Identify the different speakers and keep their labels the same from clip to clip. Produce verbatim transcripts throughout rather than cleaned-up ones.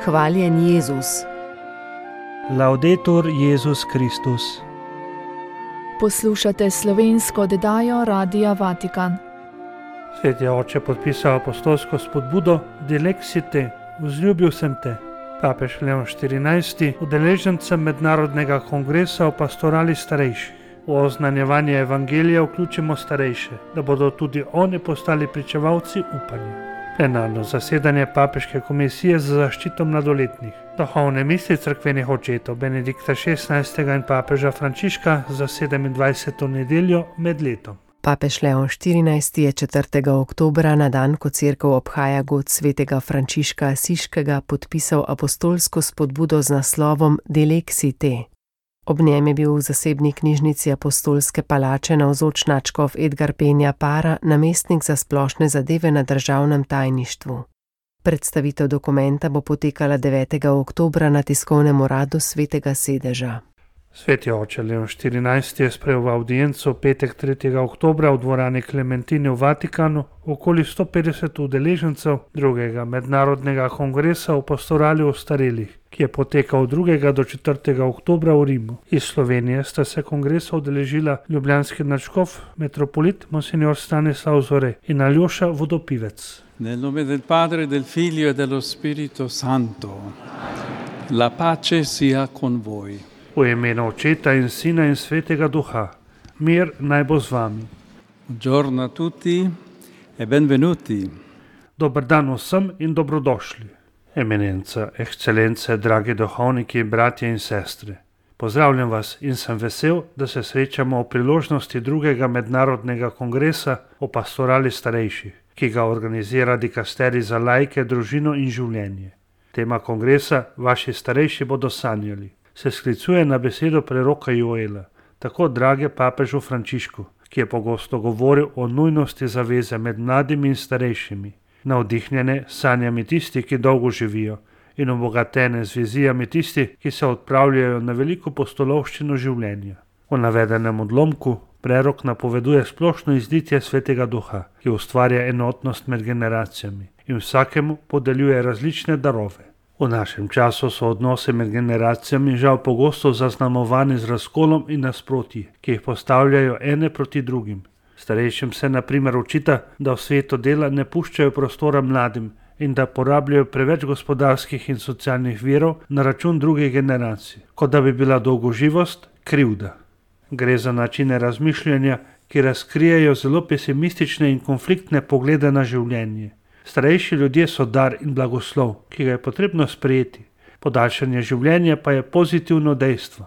Speaker 1: Hvaljen Jezus.
Speaker 2: Laudetur Jezus Kristus.
Speaker 3: Poslušate slovensko oddajo Radia Vatikan.
Speaker 2: Sveti oče podpisal apostolsko spodbudo Dilexi te, vzljubil sem te. Papež Leon štirinajsti udeležencem mednarodnega kongresa o pastorali starejših. V oznanjevanje evangelija vključimo starejše, da bodo tudi oni postali pričevalci upanja. Plenarno zasedanje Papeške komisije za zaščito mladoletnih. Duhovne misli cerkvenih očetov Benedikta šestnajstega in papeža Frančiška za sedemindvajseto nedeljo med letom.
Speaker 1: Papež Leon štirinajsti je četrtega oktobra na dan, ko cerkev obhaja god svetega Frančiška Asiškega, podpisal apostolsko spodbudo z naslovom Dilexi te. Ob njem je bil v zasebni knjižnici apostolske palače navzoč nadškof Edgar Penja Para, namestnik za splošne zadeve na državnem tajništvu. Predstavitev dokumenta bo potekala devetega oktobra na tiskovnem uradu Svetega sedeža.
Speaker 2: Sveti oče Leon štirinajsti je sprejel v avdienco petek tretjega oktobra v dvorani Klementine v Vatikanu okoli sto petdeset udeležencev drugega mednarodnega kongresa o pastorali ostarelih, ki je potekal od drugega do četrtega oktobra v Rimu. Iz Slovenije sta se kongresa udeležila ljubljanski nadškof, metropolit Monsignor Stanislav Zore in Aljoša Vodopivec.
Speaker 4: Nel nome del Padre, del Figlio e dello Spirito Santo. La pace sia con voi.
Speaker 2: V imenu Očeta in Sina in Svetega Duha. Mir naj bo z vami.
Speaker 4: Buongiorno a tutti e benvenuti.
Speaker 2: Dober dan vsem in dobrodošli. Eminenca, ekscelence, dragi duhovniki, bratje in sestre. Pozdravljam vas in sem vesel, da se srečamo o priložnosti drugega mednarodnega kongresa o pastorali starejših, ki ga organizira dikasterij za laike, družino in življenje. Tema kongresa Vaši starejši bodo sanjali se sklicuje na besedo preroka Joela, tako drage papežu Frančišku, ki je pogosto govoril o nujnosti zaveze med mladimi in starejšimi, navdihnjene sanjami tisti, ki dolgo živijo, in obogatene z vizijami tisti, ki se odpravljajo na veliko pustolovščino življenja. V navedenem odlomku prerok napoveduje splošno izlitje Svetega Duha, ki ustvarja enotnost med generacijami in vsakemu podeljuje različne darove. V našem času so odnose med generacijami žal pogosto zaznamovani z razkolom in nasprotji, ki jih postavljajo ene proti drugim. Starejšim se na primer očita, da v svetu dela ne puščajo prostora mladim in da porabljajo preveč gospodarskih in socialnih virov na račun drugih generacij, kot da bi bila dolgoživost krivda. Gre za načine razmišljanja, ki razkrijejo zelo pesimistične in konfliktne poglede na življenje. Starejši ljudje so dar in blagoslov, ki ga je potrebno sprejeti. Podaljšanje življenja pa je pozitivno dejstvo.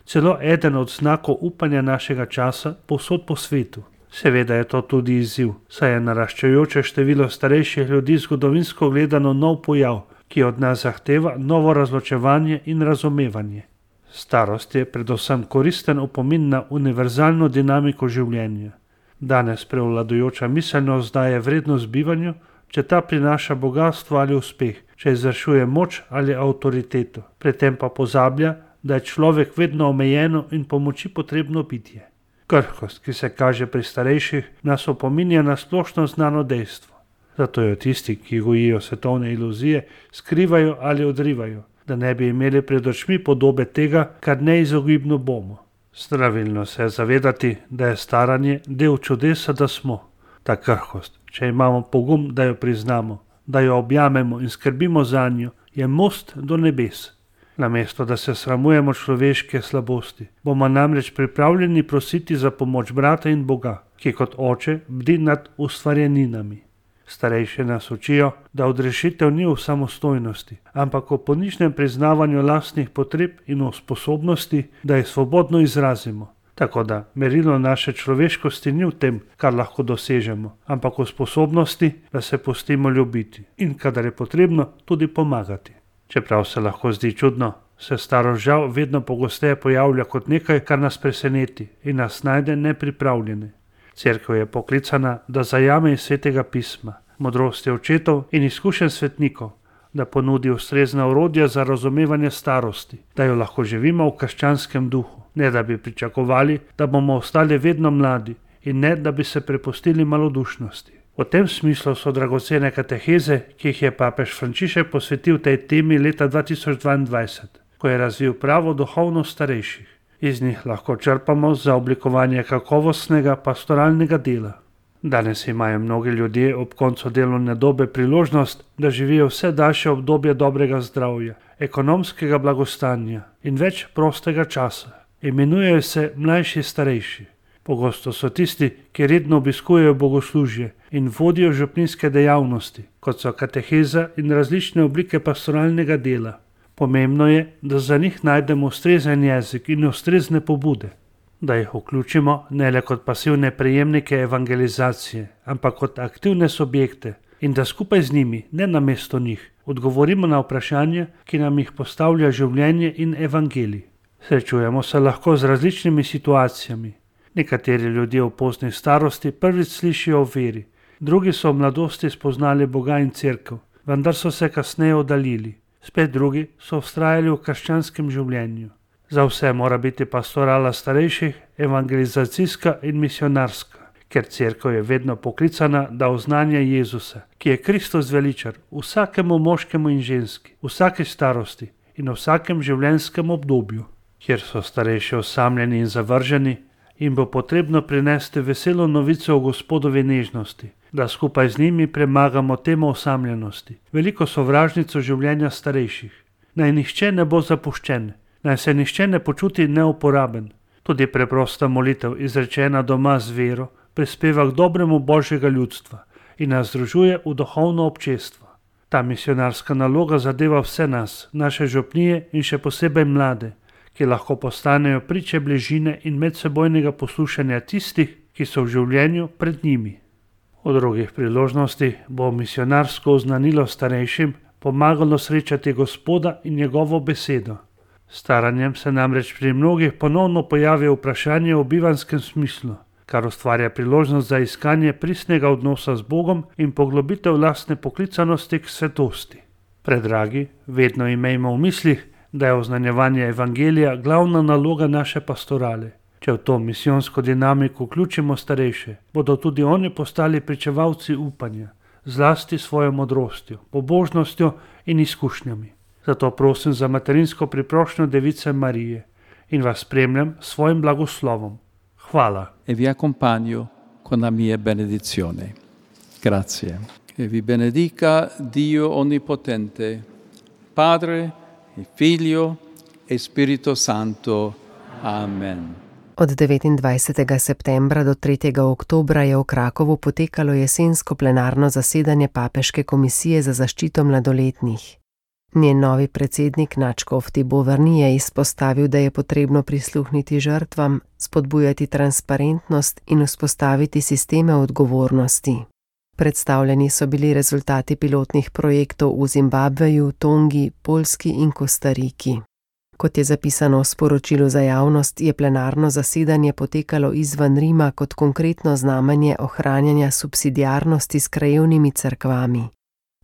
Speaker 2: Celo eden od znakov upanja našega časa povsod po svetu. Seveda je to tudi izziv, saj je naraščajoče število starejših ljudi zgodovinsko gledano nov pojav, ki od nas zahteva novo razločevanje in razumevanje. Starost je predvsem koristen opomin na univerzalno dinamiko življenja. Danes prevladujoča miselnost daje vrednost bivanju, če ta prinaša bogatstvo ali uspeh, če izvršuje moč ali avtoriteto. Pri tem pa pozablja, da je človek vedno omejeno in pomoči potrebno bitje. Krhkost, ki se kaže pri starejših, nas opominja na splošno znano dejstvo. Zato jo tisti, ki gojijo svetovne iluzije, skrivajo ali odrivajo, da ne bi imeli pred očmi podobe tega, kar neizogibno bomo. Zdravilno se je zavedati, da je staranje del čudesa, da smo. Ta krhkost, če imamo pogum, da jo priznamo, da jo objamemo in skrbimo zanjo, je most do nebes. Namesto, da se sramujemo človeške slabosti, bomo namreč pripravljeni prositi za pomoč brata in Boga, ki kot oče bdi nad ustvarjeninami. Starejši nas učijo, da odrešitev ni v samostojnosti, ampak v ponižnem priznavanju lastnih potreb in v sposobnosti, da jih svobodno izrazimo. Tako da merilo naše človeškosti ni v tem, kar lahko dosežemo, ampak v sposobnosti, da se pustimo ljubiti in, kadar je potrebno, tudi pomagati. Čeprav se lahko zdi čudno, se starost žal vedno pogosteje pojavlja kot nekaj, kar nas preseneti in nas najde nepripravljene. Cerkev je poklicana, da zajame iz Svetega pisma, modrosti očetov in izkušenj svetnikov, da ponudi ustrezna orodja za razumevanje starosti, da jo lahko živimo v krščanskem duhu, ne da bi pričakovali, da bomo ostali vedno mladi in ne da bi se prepustili malodušnosti. V tem smislu so dragocene kateheze, ki jih je papež Frančišek posvetil tej temi leta dva tisoč dvaindvajset, ko je razvil pravo duhovnost starejših. Iz njih lahko črpamo za oblikovanje kakovostnega pastoralnega dela. Danes imajo mnogi ljudje ob koncu delovne dobe priložnost, da živijo vse daljše obdobje dobrega zdravja, ekonomskega blagostanja in več prostega časa. Imenujejo se mlajši starejši. Pogosto so tisti, ki redno obiskujejo bogoslužje in vodijo župnijske dejavnosti, kot so kateheza in različne oblike pastoralnega dela. Pomembno je, da za njih najdemo ustrezen jezik in ustrezne pobude, da jih vključimo ne le kot pasivne prejemnike evangelizacije, ampak kot aktivne subjekte in da skupaj z njimi, ne namesto njih, odgovorimo na vprašanja, ki nam jih postavlja življenje in evangelij. Srečujemo se lahko z različnimi situacijami. Nekateri ljudje v pozni starosti prvič slišijo o veri, drugi so v mladosti spoznali Boga in cerkev, vendar so se kasneje oddaljili. Spet drugi so vztrajali v krščanskem življenju. Za vse mora biti pastorala starejših evangelizacijska in misionarska, ker cerkev je vedno poklicana, da oznanja Jezusa, ki je Kristus veličar vsakemu moškemu in ženski, vsaki starosti in vsakem življenjskem obdobju. Kjer so starejši osamljeni in zavrženi, jim bo potrebno prinesti veselo novico o Gospodovi nežnosti, da skupaj z njimi premagamo temo osamljenosti, veliko sovražnico življenja starejših. Naj nihče ne bo zapuščen, naj se nihče ne počuti neuporaben. Tudi preprosta molitev, izrečena doma z vero, prispeva k dobremu Božjega ljudstva in nas združuje v duhovno občestvo. Ta misionarska naloga zadeva vse nas, naše župnije in še posebej mlade, ki lahko postanejo priče bližine in medsebojnega poslušanja tistih, ki so v življenju pred njimi. V drugih priložnostih bo misionarsko oznanilo starejšim pomagalo srečati Gospoda in njegovo besedo. Staranjem se namreč pri mnogih ponovno pojavi vprašanje o bivanskem smislu, kar ustvarja priložnost za iskanje pristnega odnosa z Bogom in poglobitev lastne poklicanosti k svetosti. Predragi, vedno imejmo v mislih, da je oznanjevanje evangelija glavna naloga naše pastorale. Če v to misijonsko dinamiko vključimo starejše, bodo tudi oni postali pričevalci upanja, zlasti svojo modrostjo, pobožnostjo in izkušnjami. Zato prosim za materinsko priprošnjo Device Marije in vas spremljam s svojim blagoslovom. Hvala.
Speaker 4: E vi accompagno con la mia benedizione. Grazie. E vi benedica Dio Onnipotente, Padre, Figlio e Spirito Santo. Amen.
Speaker 1: Od devetindvajsetega septembra do tretjega oktobra je v Krakovu potekalo jesensko plenarno zasedanje Papeške komisije za zaščito mladoletnih. Njen novi predsednik nadškof Thibaut Verny je izpostavil, da je potrebno prisluhniti žrtvam, spodbujati transparentnost in vzpostaviti sisteme odgovornosti. Predstavljeni so bili rezultati pilotnih projektov v Zimbabveju, Tongi, Poljski in Kostariki. Kot je zapisano v sporočilu za javnost, je plenarno zasedanje potekalo izven Rima kot konkretno znamenje ohranjanja subsidiarnosti s krajevnimi cerkvami.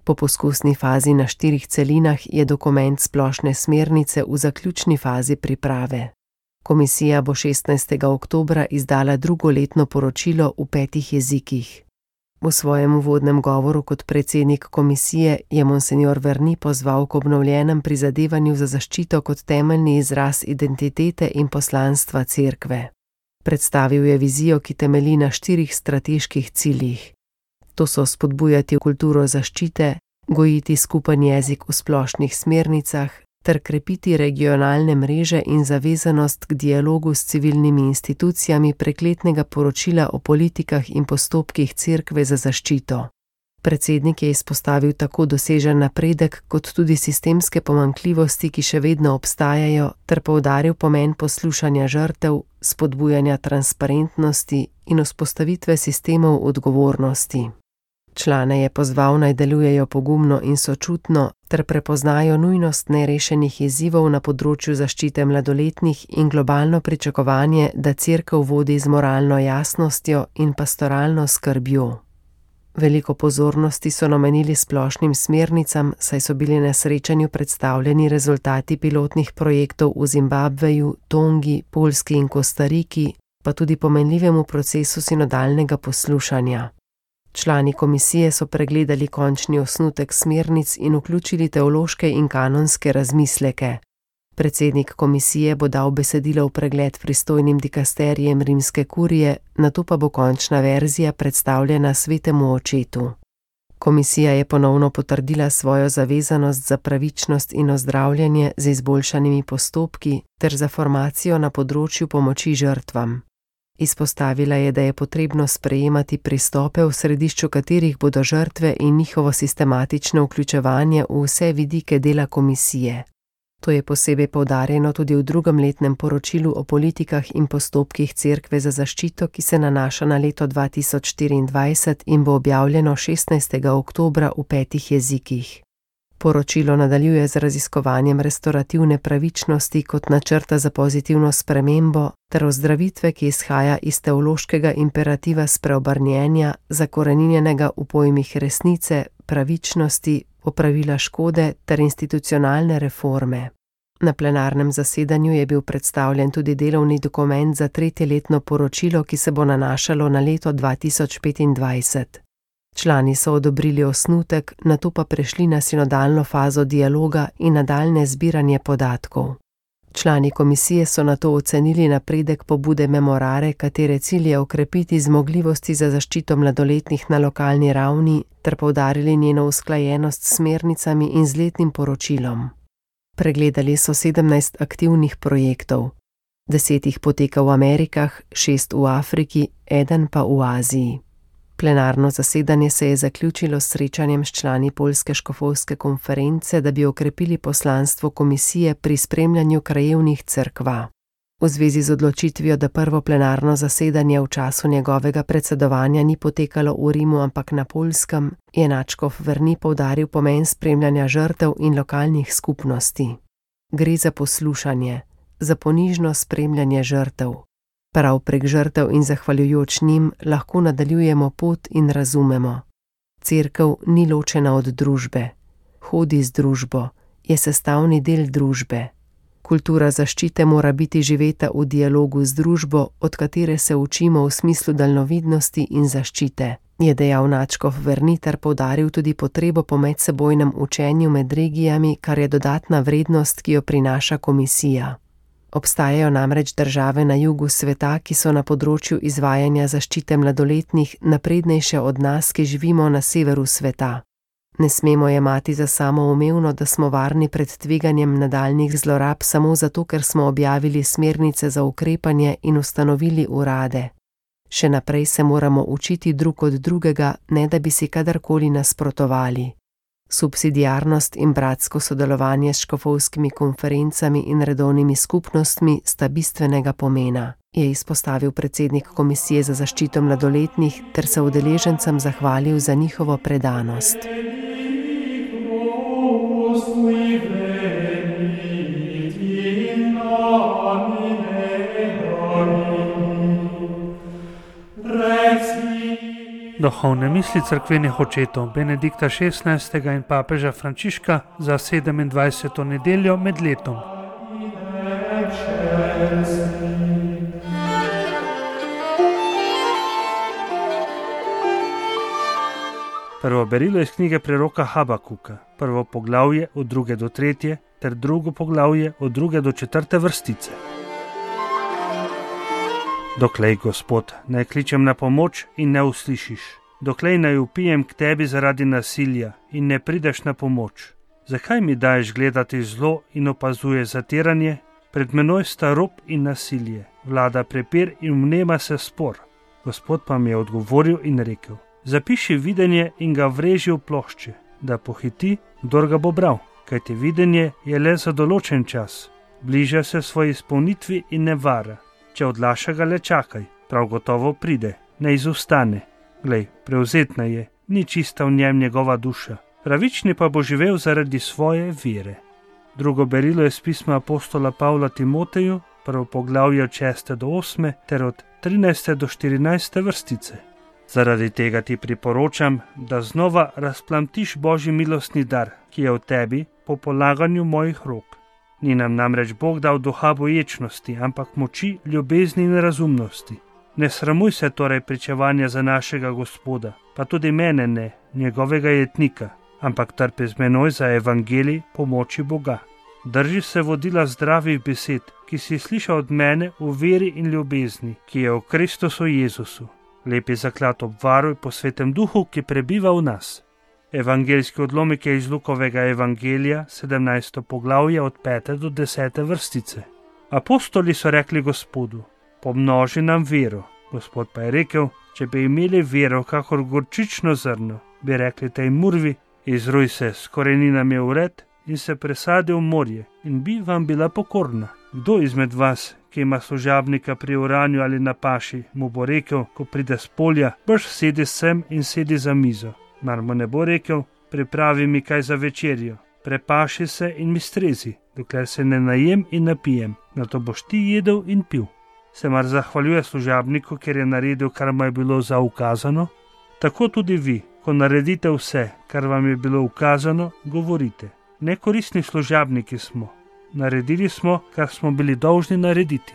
Speaker 1: Po poskusni fazi na štirih celinah je dokument splošne smernice v zaključni fazi priprave. Komisija bo šestnajstega oktobra izdala drugoletno poročilo v petih jezikih. V svojem uvodnem govoru kot predsednik komisije je monsenjor Verny pozval k obnovljenem prizadevanju za zaščito kot temeljni izraz identitete in poslanstva cerkve. Predstavil je vizijo, ki temelji na štirih strateških ciljih. To so spodbujati kulturo zaščite, gojiti skupen jezik v splošnih smernicah ter krepiti regionalne mreže in zavezanost k dialogu s civilnimi institucijami prek letnega poročila o politikah in postopkih cerkve za zaščito. Predsednik je izpostavil tako dosežen napredek kot tudi sistemske pomanjkljivosti, ki še vedno obstajajo, ter poudaril pomen poslušanja žrtev, spodbujanja transparentnosti in vzpostavitve sistemov odgovornosti. Člane je pozval, naj delujejo pogumno in sočutno ter prepoznajo nujnost nerešenih izzivov na področju zaščite mladoletnih in globalno pričakovanje, da cerkev vodi z moralno jasnostjo in pastoralno skrbjo. Veliko pozornosti so namenili splošnim smernicam, saj so bili na srečanju predstavljeni rezultati pilotnih projektov v Zimbabveju, Tongi, Poljski in Kostariki, pa tudi pomenljivemu procesu sinodalnega poslušanja. Člani komisije so pregledali končni osnutek smernic in vključili teološke in kanonske razmisleke. Predsednik komisije bo dal besedilo v pregled pristojnim dikasterijem rimske kurije, nato pa bo končna verzija predstavljena svetemu očetu. Komisija je ponovno potrdila svojo zavezanost za pravičnost in ozdravljanje z izboljšanimi postopki ter za formacijo na področju pomoči žrtvam. Izpostavila je, da je potrebno sprejemati pristope, v središču katerih bodo žrtve in njihovo sistematično vključevanje v vse vidike dela komisije. To je posebej poudarjeno tudi v drugem letnem poročilu o politikah in postopkih Cerkve za zaščito, ki se nanaša na leto dva tisoč štiriindvajset in bo objavljeno šestnajstega oktobra v petih jezikih. Poročilo nadaljuje z raziskovanjem restorativne pravičnosti kot načrta za pozitivno spremembo ter ozdravitve, ki izhaja iz teološkega imperativa spreobrnjenja, zakoreninjenega v pojmih resnice, pravičnosti, popravila škode ter institucionalne reforme. Na plenarnem zasedanju je bil predstavljen tudi delovni dokument za tretjeletno poročilo, ki se bo nanašalo na leto dva tisoč petindvajset. Člani so odobrili osnutek, nato pa prešli na sinodalno fazo dialoga in nadaljne zbiranje podatkov. Člani komisije so nato ocenili napredek pobude Memorare, katere cilj je okrepiti zmogljivosti za zaščito mladoletnih na lokalni ravni ter poudarili njeno usklajenost s smernicami in z letnim poročilom. Pregledali so sedemnajst aktivnih projektov. Deset jih poteka v Amerikah, šest v Afriki, eden pa v Aziji. Plenarno zasedanje se je zaključilo s srečanjem s člani Poljske škofovske konference, da bi okrepili poslanstvo komisije pri spremljanju krajevnih cerkva. V zvezi z odločitvijo, da prvo plenarno zasedanje v času njegovega predsedovanja ni potekalo v Rimu, ampak na Poljskem, je nadškof Verni poudaril pomen spremljanja žrtev in lokalnih skupnosti. Gre za poslušanje, za ponižno spremljanje žrtev. Prav prek žrtev in zahvaljujoč njim lahko nadaljujemo pot in razumemo. Cerkev ni ločena od družbe. Hodi z družbo, je sestavni del družbe. Kultura zaščite mora biti živeta v dialogu z družbo, od katere se učimo v smislu daljnovidnosti in zaščite, je dejal nadškof Verni ter poudaril tudi potrebo po medsebojnem učenju med regijami, kar je dodatna vrednost, ki jo prinaša komisija. Obstajajo namreč države na jugu sveta, ki so na področju izvajanja zaščite mladoletnih naprednejše od nas, ki živimo na severu sveta. Ne smemo jemati za samoumevno, da smo varni pred tveganjem nadaljnjih zlorab samo zato, ker smo objavili smernice za ukrepanje in ustanovili urade. Še naprej se moramo učiti drug od drugega, ne da bi si kadarkoli nasprotovali. Subsidiarnost in bratsko sodelovanje s škofovskimi konferencami in redovnimi skupnostmi sta bistvenega pomena, je izpostavil predsednik Komisije za zaščito mladoletnih ter se udeležencem zahvalil za njihovo predanost.
Speaker 2: Duhovne misli cerkvenih očetov Benedikta šestnajstega in papeža Frančiška za sedemindvajseto nedeljo med letom. Prvo berilo iz knjige preroka Habakuka, prvo poglavje od druge do tretje ter drugo poglavje od druge do četrte vrstice. Doklej, Gospod, ne kličem na pomoč in ne uslišiš. Doklej naj vpijem k tebi zaradi nasilja in ne prideš na pomoč. Zakaj mi daješ gledati zlo in opazuje zatiranje? Pred menoj sta rob in nasilje, vlada prepir in vnema se spor. Gospod pa mi je odgovoril in rekel: zapiši videnje in ga vreži v plošče, da pohiti, kdor ga bo bral, kajti videnje je le za določen čas. Bliža se svoji izpolnitvi in ne vara. Če odlaša ga, le čakaj, prav gotovo pride, ne izostane. Glej, prevzetna je, ni čista v njem njegova duša. Pravični pa bo živel zaradi svoje vere. Drugo berilo je z pisma apostola Pavla Timoteju, prvo poglavje od šeste do osme ter od trinajste do štirinajste vrstice. Zaradi tega ti priporočam, da znova razplamtiš Božji milostni dar, ki je v tebi po polaganju mojih rok. Ni nam namreč Bog dal duha boječnosti, ampak moči, ljubezni in razumnosti. Ne sramuj se torej pričevanja za našega Gospoda, pa tudi mene ne, njegovega jetnika, ampak trpi z menoj za evangelij pomoči Boga. Drži se vodila zdravih besed, ki si slišal od mene v veri in ljubezni, ki je v Kristusu Jezusu. Lepi zaklad obvaruj po Svetem Duhu, ki prebiva v nas. Evangeljski odlomek je iz Lukovega evangelija, sedemnajsto poglavje od pete do desete vrstice. Apostoli so rekli Gospodu: pomnoži nam vero. Gospod pa je rekel: če bi imeli vero kakor gorčično zrno, bi rekli tej murvi: izruj se s koreninami v red in se presadi v morje, in bi vam bila pokorna. Kdo izmed vas, ki ima služabnika pri oranju ali na paši, mu bo rekel, ko pride s polja: brž sedi sem in sedi za mizo? Mar mu ne bo rekel: pripravi mi kaj za večerjo, prepaši se in mi strezi, dokler se ne najem in napijem, nato boš ti jedel in pil. Se mar zahvaljuje služabniku, ker je naredil, kar mu je bilo zaukazano? Tako tudi vi, ko naredite vse, kar vam je bilo ukazano, govorite: nekoristni služabniki smo, naredili smo, kar smo bili dolžni narediti.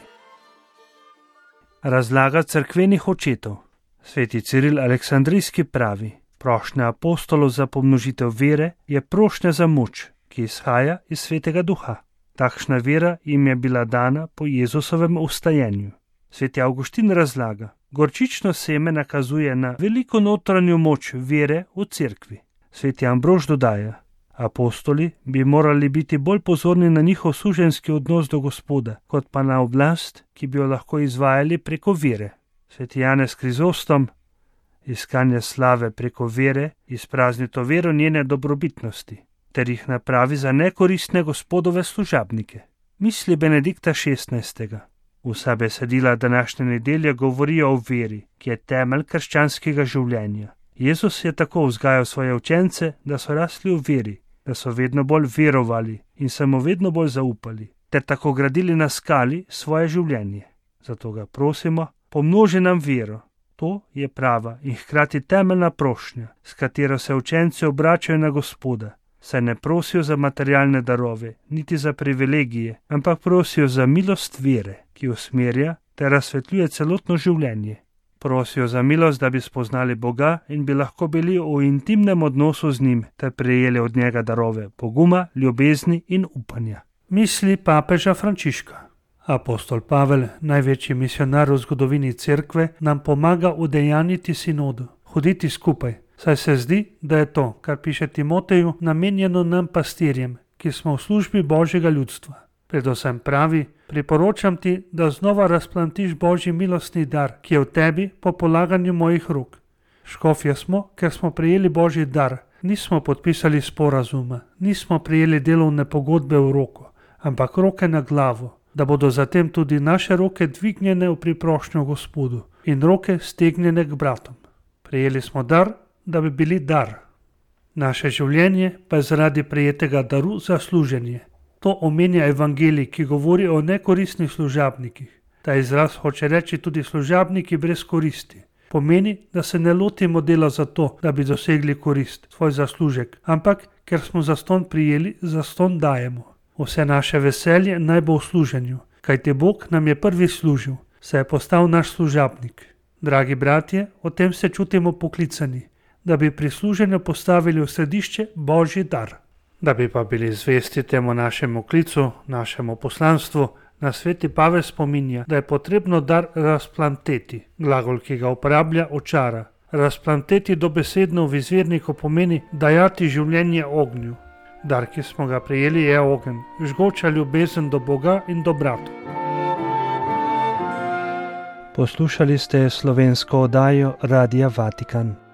Speaker 2: Razlaga cerkvenih očetov. Sveti Ciril Aleksandrijski pravi: prošnja apostolov za pomnožitev vere je prošnja za moč, ki izhaja iz Svetega Duha. Takšna vera jim je bila dana po Jezusovem vstajenju. Sveti Avguštin razlaga: gorčično seme nakazuje na veliko notranjo moč vere v cerkvi. Sveti Ambrož dodaja: apostoli bi morali biti bolj pozorni na njihov suženjski odnos do Gospoda, kot pa na oblast, ki bi jo lahko izvajali preko vere. Sveti Janez Krizostom: iskanje slave preko vere izprazni to vero njene dobrobitnosti, ter jih napravi za nekoristne Gospodove služabnike. Misli Benedikta šestnajstega. Vsa besedila današnje nedelje govorijo o veri, ki je temelj krščanskega življenja. Jezus je tako vzgajal svoje učence, da so rasli v veri, da so vedno bolj verovali in se mu vedno bolj zaupali, ter tako gradili na skali svoje življenje. Zato ga prosimo: pomnoži nam vero. To je prava in hkrati temeljna prošnja, s katero se učenci obračajo na Gospoda, saj ne prosijo za materialne darove, niti za privilegije, ampak prosijo za milost vere, ki usmerja ter razsvetljuje celotno življenje. Prosijo za milost, da bi spoznali Boga in bi lahko bili v intimnem odnosu z njim ter prejeli od njega darove poguma, ljubezni in upanja. Misli papeža Frančiška. Apostol Pavel, največji misionar v zgodovini cerkve, nam pomaga udejanjiti sinodo, hoditi skupaj, saj se zdi, da je to, kar piše Timoteju, namenjeno nam pastirjem, ki smo v službi Božjega ljudstva. Predvsem pravi: priporočam ti, da znova razplantiš Božji milostni dar, ki je v tebi po polaganju mojih rok. Škofje smo, ker smo prejeli Božji dar, nismo podpisali sporazuma, nismo prejeli delovne pogodbe v roko, ampak roke na glavo, da bodo zatem tudi naše roke dvignjene v priprošnjo Gospodu in roke stegnjene k bratom. Prejeli smo dar, da bi bili dar. Naše življenje pa je zaradi prejetega daru za služenje. To omenja evangelij, ki govori o nekoristnih služabnikih. Ta izraz hoče reči tudi služabniki brez koristi. Pomeni, da se ne lotimo dela zato, da bi dosegli korist, svoj zaslužek, ampak ker smo zastonj prijeli, zastonj dajemo. Vse naše veselje naj bo v služenju, kajti Bog nam je prvi služil, se je postal naš služabnik. Dragi bratje, o tem se čutimo poklicani, da bi pri služenju postavili v središče Božji dar. Da bi pa bili zvesti temu našemu klicu, našemu poslanstvu, nas sveti Pavel spominja, da je potrebno dar razplanteti. Glagol, ki ga uporablja, očara. Razplanteti dobesedno v izvirniku pomeni dajati življenje ognju. Dar, ki smo ga prejeli, je ogenj, žgoča ljubezen do Boga in do bratov.
Speaker 5: Poslušali ste slovensko oddajo Radia Vatikan.